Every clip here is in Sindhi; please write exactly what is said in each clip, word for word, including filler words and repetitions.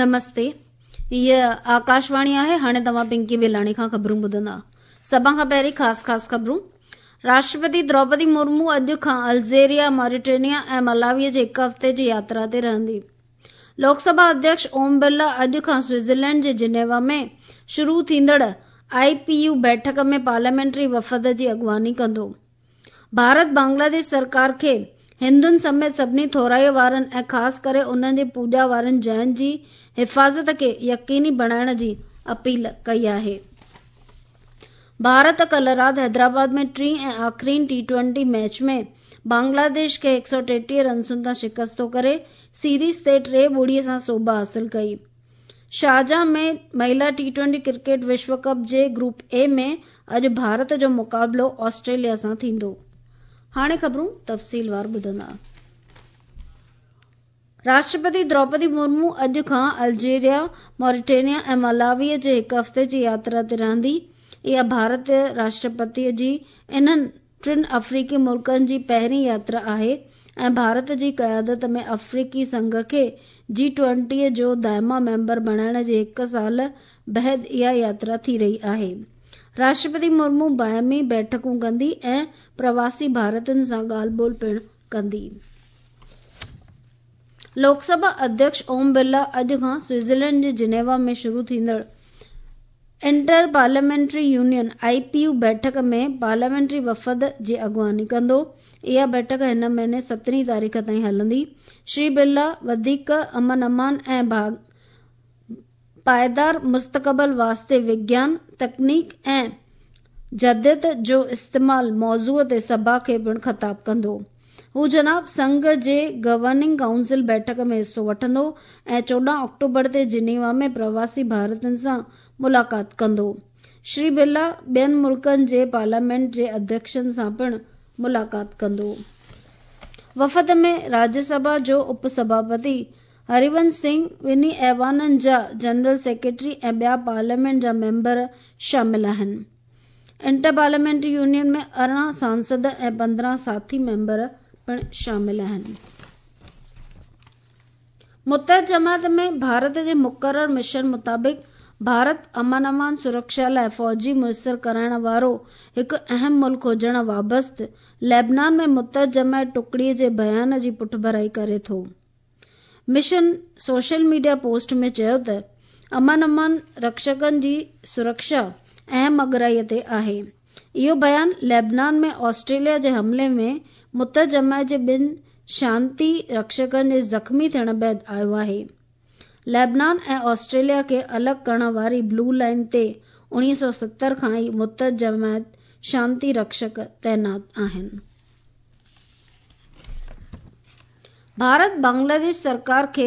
نمستي، هيء آڪاشواڻي آهي. هاڻي توهان پنڪي بيلاڻي کان خبرون ٻڌندا. سڀ کان پهرين خاص خاص خبرون. راشٽرپتي دروپدي مرمو اڄ کان الجيريا، ماريٽينيا ۽ ملاوي جي هڪ هفتي جي ياترا تي رهندي. لوڪ سڀا اڌيڪش اوم برلا اڄ کان سوئٽزرلينڊ جي جنيوا ۾ شروع ٿيندڙ I P U بيٺڪ ۾ پارليامينٽري وفد جي اڳواڻي ڪندو. ڀارت بنگلاديش سرڪار کي هندن سميت سڀني ٿورائي وارن ۽ خاص ڪري انهن جي پوڄا وارين جاين جي حفاظت کي يقيني بڻائڻ جي اپيل ڪئي آهي. ڀارت ڪالهه رات حيدرآباد ۾ ٽين ۽ آخرين ٽي ٽوئنٽي ميچ ۾ بنگلاديش کي هڪ سؤ ٽيٽيهه رنسن تان شڪست ڪري سيريز تي ٽي ٻڙي سان سوڀ حاصل ڪئي. شارجه ۾ مهلا ٽي ٽوئنٽي ڪرڪيٽ وشو ڪپ جي گروپ اي ۾ اڄ ڀارت جو مقابلو آسٽريليا سان ٿيندو. هاڻي خبرون تفصيلوار ٻڌندا. راشٽرپتي دروپدي مرمو اڄ کان الجيريا، ماريٽينيا ۽ ملاوي جي هڪ هفتي جي ياترا تي رهندي. اها ڀارت راشٽرپتي جي انهن ٽن آفريقي ملڪن جي پهرين ياترا آهي ۽ ڀارت جي قيادت ۾ آفريقي سنگهه کي جي ٽوئنٽي جو دائمي ميمبر بڻائڻ جي هڪ سال بعد اها ياترا ٿي رهي آهي. راشٽرپتي مرمو باهمي بيٺڪون ڪندي ۽ پرواسي ڀارتين سان ڳالهه ٻولهه پڻ ڪندي. لوڪ سڀا اڌيڪش اوم برلا اڄ کان سوئٽزرلينڊ جي جنيوا ۾ شروع ٿيندڙ inter parliamentary union I P U بيٺڪ ۾ پارليامينٽري وفد جي اڳواڻي ڪندو. اها بيٺڪ هن مهيني سترهين تاريخ تائين هلندي. شري برلا وڌيڪ امن امان ۽ پائيدار مستقبل واسطي وگيان، تڪنيڪ ۽ جديديت جو استعمال موضوع تي سڀا کي پڻ خطاب ڪندو. هو جناب سنگهه جي گورننگ ڪائونسل بيٺڪ ۾ حصو وٺندو ۽ چوڏهن آڪٽوبر تي جنيوا ۾ پرواسي ڀارتين سان ملاقات ڪندو. شري برلا ٻين ملڪن جي پارليامينٽ جي اڌيڪشن سان پڻ ملاقات ڪندو. وفد ۾ راجيه سڀا جو اپ سڀاپتي هريونش سنگهه، ٻنهي ايوانن جا جنرل سيڪريٽري ۽ ٻيا پارليامينٽ جا ميمبر شامل آهن. انٽر پارليامينٽري يونين ۾ ارڙهن سانسد ۽ پندرهن ساٿي ميمبر پڻ شامل آهن. متحده جماعت ۾ ڀارت جي مقرر مشن مطابق ڀارت امن امان سرڪشا لاءِ فوجي ميسر ڪرائڻ وارو هڪ اهم ملڪ هجڻ وابسته ليبنان ۾ متحده جماعت ٽڪڙي جي بيان جي پٺڀرائي ڪري ٿو. مشن سوشل ميڊيا پوسٽ ۾ چيو ته امن امان رڪشڪن جي سرڪشا اهم اڳرائي تي آهي. اهو بيان ليبنان ۾ آسٽريليا جي حملي ۾ متحده جماعت جي ٻن شانتي رڪشڪن جي زخمي ٿيڻ بعد آيو آهي. ليبنان ۽ آسٽريليا کي الڳ ڪرڻ واري بلو لائن تي اڻويهه سؤ ستر کان ئي متحده جماعت شانتي رڪشڪ تعينات آهن. ڀارت بنگلاديش سرڪار کي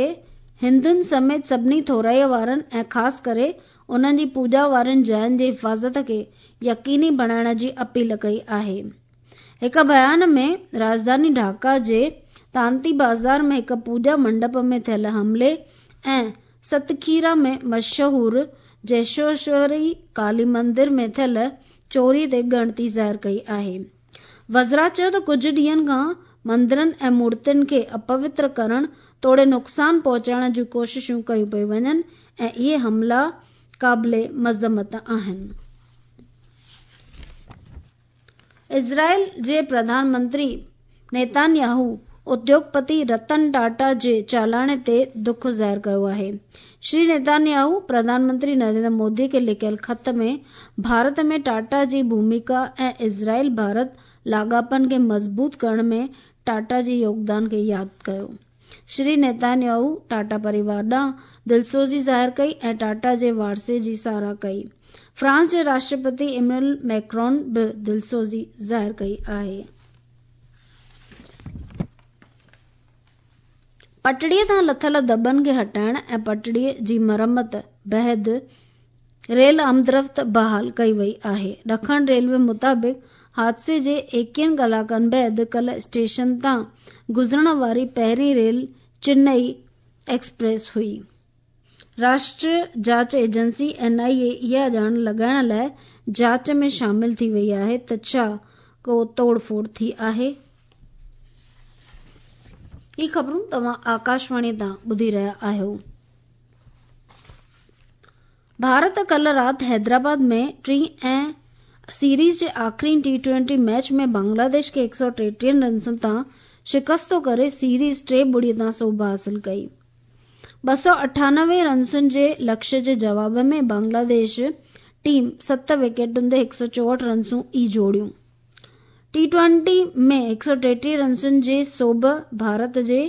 هندن سميت سڀني ٿورائي وارن ۽ خاص ڪري انهن جي پوڄا وارين جاين جي حفاظت کي يقيني بڻائڻ جي اپيل ڪئي آهي. هڪ بيان ۾ راڄڌاني ڍاڪا جي تانتي بازار ۾ هڪ پوڄا منڊپ ۾ ٿيل حملي ۽ ستکيرا ۾ مشهور جيشوشوري ڪالي مندر ۾ ٿيل چوري تي ڳڻتي ظاهر ڪئي آهي. وزرا چيو ته ڪجهه ڏينهن کان مندرن ۽ مورتين کي اپوتر ڪرڻ توڙي نقصان پهچائڻ جون ڪوششون ڪيون پيون وڃن ۽ اهي حملا قابل مذمت آهن. اسرائيل جي پرڌان منتري نيتانياهو اديوگپتي رتن ٽاٽا جي چالاڻي تي دک ظاهر ڪيو آهي. شري نيتانياهو پرڌان منتري نريندر مودي کي لکيل خط ۾ ڀارت ۾ ٽاٽا جي ڀوميڪا ۽ اسرائيل ڀارت لاڳاپن کي مضبوط ڪرڻ ۾ ٽاٽا جي يوگدان کي ياد ڪيو. شري نيتانياهو ٽاٽا پريوار ڏانهن دلسوزي ظاهر ڪئي ۽ ٽاٽا جي وارثي جي ساراهه ڪئي. فرانس جي راشٽرپتي ايمينوئل ميڪرون به دلسوزي ظاهر ڪئي آهي. پٽڙيءَ تان لٿل دٻن کي هٽائڻ ۽ پٽڙيءَ جي مرمت بعد ريل آمدرفت بحال ڪئي وئي آهي. ڏکڻ ريلوي مطابق حادثي جي ايڪويهن ڪلاڪن بعد ڪالهه اسٽيشن تان گذرڻ واري پهرين ريل چنئي ايڪسپريس هئي. راشٽريه جاچ ايجنسي اين I اي اها ڄاڻ لڳائڻ لاءِ جاچ ۾ شامل ٿي وئي آهي ته ڇا ڪو توڙ ڦوڙ ٿي آهي. هي خبرون توهان آڪاشواڻي تان ٻڌي رهيا آهيو. ڀارت ڪالهه رات حيدرآباد ۾ ٽين ۽ سيريز جي آخرين ٽي ٽوئنٽي ميچ ۾ بنگلاديش کي هڪ سؤ ٽيٽيهه رنسن تان شڪستو ڪري سيريز ٽي ٻڙي تان سوڀ حاصل ڪئي. ٻه سؤ اٺانوي رنسن جي لڪشيه جي جواب ۾ بنگلاديش ٽيم ست وڪيٽن تي هڪ سؤ چوهٺ رنسون ئي جوڙيون. ٽي ٽوئنٽي ۾ هڪ سؤ ٽيٽيهه رنسن جي سوڀ ڀارت جي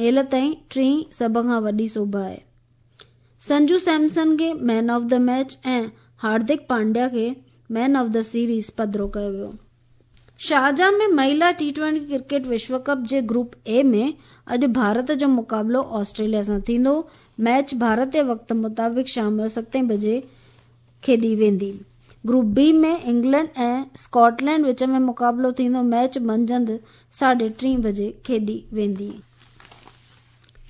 هيل تائين ٽين سڀ کان وڏي سوڀ آهي. سنجو سيمسن کي man of the match ۽ Hardik Pandya کي مين آف the series پڌرو ڪيو ويو. شارجه ۾ مهلا ٽي ٽوئنٽي ڪرڪيٽ وشو ڪپ جي گروپ اي ۾ اڄ ڀارت جو مقابلو آسٽريليا سان ٿيندو. ميچ ڀارتي وقت مطابق شام جو ستين بجي کيڏي ويندي. گروپ بي ۾ انگلينڊ ۽ اسڪاٽلينڊ وچ ۾ مقابلو ٿيندو. ميچ منجهند ساڍي ٽي بجي کيڏي ويندي.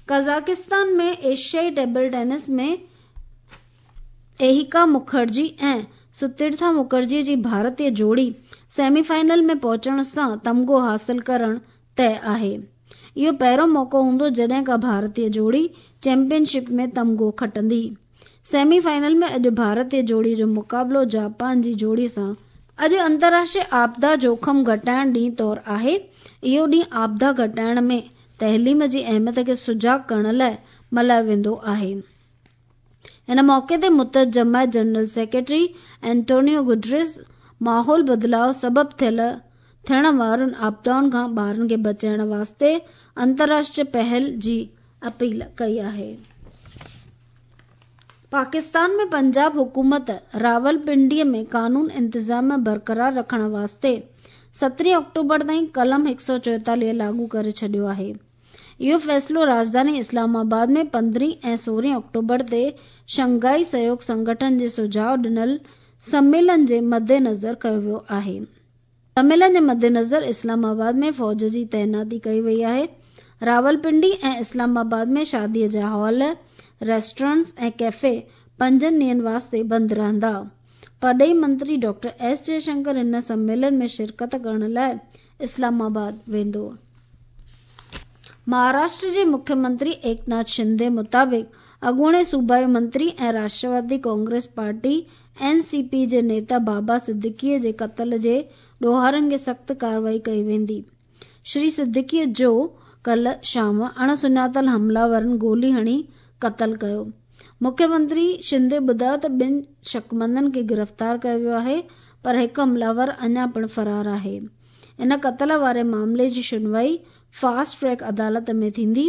قزاقستان ۾ ايشيائي ٽيبل ٽينس ۾ ايهڪا مکرجي ۽ ستيرٿا مکرجي جي ڀارتي جوڙي سيمي فائنل ۾ پهچڻ سان تمغو حاصل ڪرڻ طئي آهي. اهو پهريون موقعو هوندو جڏهن ڪا ڀارتي جوڙي چيمپئن شپ ۾ تمغو کٽندي. سيمي فائنل ۾ اڄ ڀارتي جوڙي جو مقابلو جاپان جي جوڙي سان. اڄ انترراشٽريه آپدا جوکم گهٽائڻ ڏينهن طور آهي. اهو ڏينهن آپدا گهٽائڻ ۾ تعليم جي اهميت کي سجاڳ ڪرڻ لاءِ ملهايو ويندو آهي. هن موقعي تي متحده جماعت جنرل سيڪريٽري اينٽونيو گوٽريس ماحول بدلاءُ سبب ٿيل ٿيڻ وارن آپدائن کان ٻارن کي بچائڻ واسطي انترراشٽريه پهل جي اپيل ڪئي آهي. پاڪستان ۾ پنجاب حڪومت راولپنڊي ۾ قانون انتظام برقرار رکڻ واسطي سترهين آڪٽوبر تائين قلم هڪ سؤ چوئيتاليهه لاڳو ڪري ڇڏيو آهي. اهو فيصلو راڄڌاني اسلام آباد ۾ پندرهين ۽ سورهين آڪٽوبر تي شنگهائي سهيوگ سنگٺن جي سجهاءُ ڏنل سميلن جي مدنظر ڪيو ويو آهي. سميلن جي مدنظر اسلام آباد ۾ فوج جي تعيناتي ڪئي وئي آهي. راولپنڊي ۽ اسلام آباد ۾ شاديءَ جا هال، ريسٽورنٽس ۽ ڪيفي پنجن ڏينهن واسطي بند رهندا. پرڏيهي منتري ڊاڪٽر ايس جئشنڪر هن سميلن ۾ شرڪت ڪرڻ لاءِ اسلام آباد ويندو. مهاراشٽر جي مکيه منتري ايڪناٿ شندي مطابق اڳوڻي صوبائي منتري ۽ Rashtrawadi Congress party N C P جي نيتا بابا صديقي جي قتل جي ڏوهارين کي سخت ڪارروائي ڪئي ويندي. شري صديقي جو ڪالهه شام اڻ سڃاتل حمله آورن گولي هڻي قتل ڪيو. مکيه منتري شندي ٻڌايو ته ٻن شڪمندن کي گرفتار ڪيو ويو آهي پر هڪ حمله آور اڃا پڻ فرار آهي. ان قتل واري معاملي جي شنوائي فاسٽ ٽريڪ عدالت ۾ ٿيندي.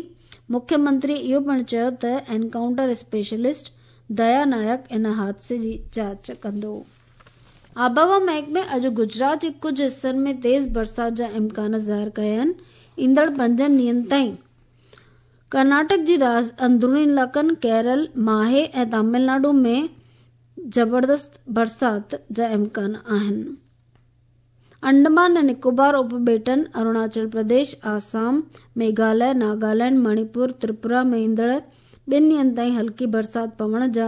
مکيه منتري اهو پڻ چيو ته انڪائونٽر اسپيشلسٽ ديا نايڪ ان حادثي جي جاچ ڪندو. آبهوا محڪمي اڄ گجرات جي ڪجهه حصن ۾ تيز برسات جا امڪان ظاهر ڪيا آهن. ايندڙ پنجن ڏينهن تائين ڪرناٽڪ جي اندروني علائقن، ڪيرل، ماهي ۽ تامل ناڊو ۾ زبردست برسات جا امڪان آهن. انڊمان ۽ نڪوبار اپٻيٽن، اروناچل پرديش، آسام، ميگهاليه، ناگالينڊ، مڻيپور، تريپورا ۾ ايندڙ ٻن ڏينهن تائين هلڪي برسات پوڻ جا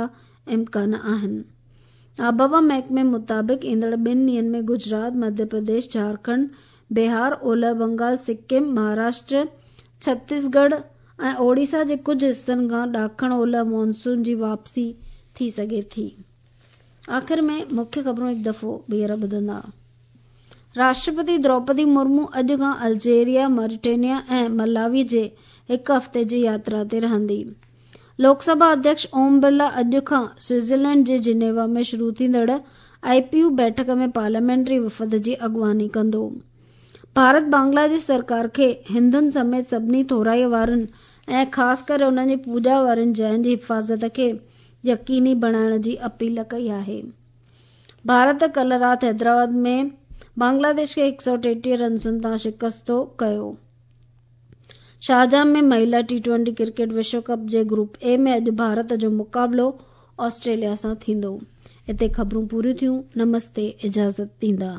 امڪان آهن. آبهوا محڪمي مطابق ايندڙ ٻن ڏينهن ۾ گجرات، مڌيه پرديش، جهارکنڊ، بهار، اولهه بنگال، سڪم، مهاراشٽر، ڇتيسڳڙهه ۽ اوڙيسا جي ڪجهه حصن کان ڏاکڻ اولهه مانسون جي واپسي ٿي سگهي ٿي. آخر ۾ مکيه خبرون هڪ دفعو ٻيهر ٻڌندا. راشٽرپتي دروپدي مرمو اڄ کان الجيريا، ماريٽينيا ۽ ملاوي جي هڪ هفتي جي ياترا تي رهندي. لوڪ سڀا اڌيڪش اوم برلا اڄ کان سوئٽزرلينڊ جي جنيوا ۾ شروع ٿيندڙ I P U بيٺڪ ۾ پارليامينٽري وفد جي اڳواڻي ڪندو. ڀارت بنگلاديش سرڪار کي هندن سميت سڀني ٿورائي وارن ۽ خاص ڪري انهن جي پوڄا وارين جاين جي حفاظت کي يقيني بڻائڻ جي اپيل ڪئي آهي. ڀارت ڪالهه رات حيدرآباد ۾ بنگلاديش کي هڪ سؤ ٽيٽيهه رنسن تان شڪستو ڪيو. شارجه ۾ مهلا ٽي ٽوئنٽي ڪرڪيٽ وشو ڪپ جي گروپ اي ۾ اڄ ڀارت جو مقابلو آسٽريليا سان ٿيندو. هتي خبرون پوريون ٿيون. نمستي، اجازت ڏيندا.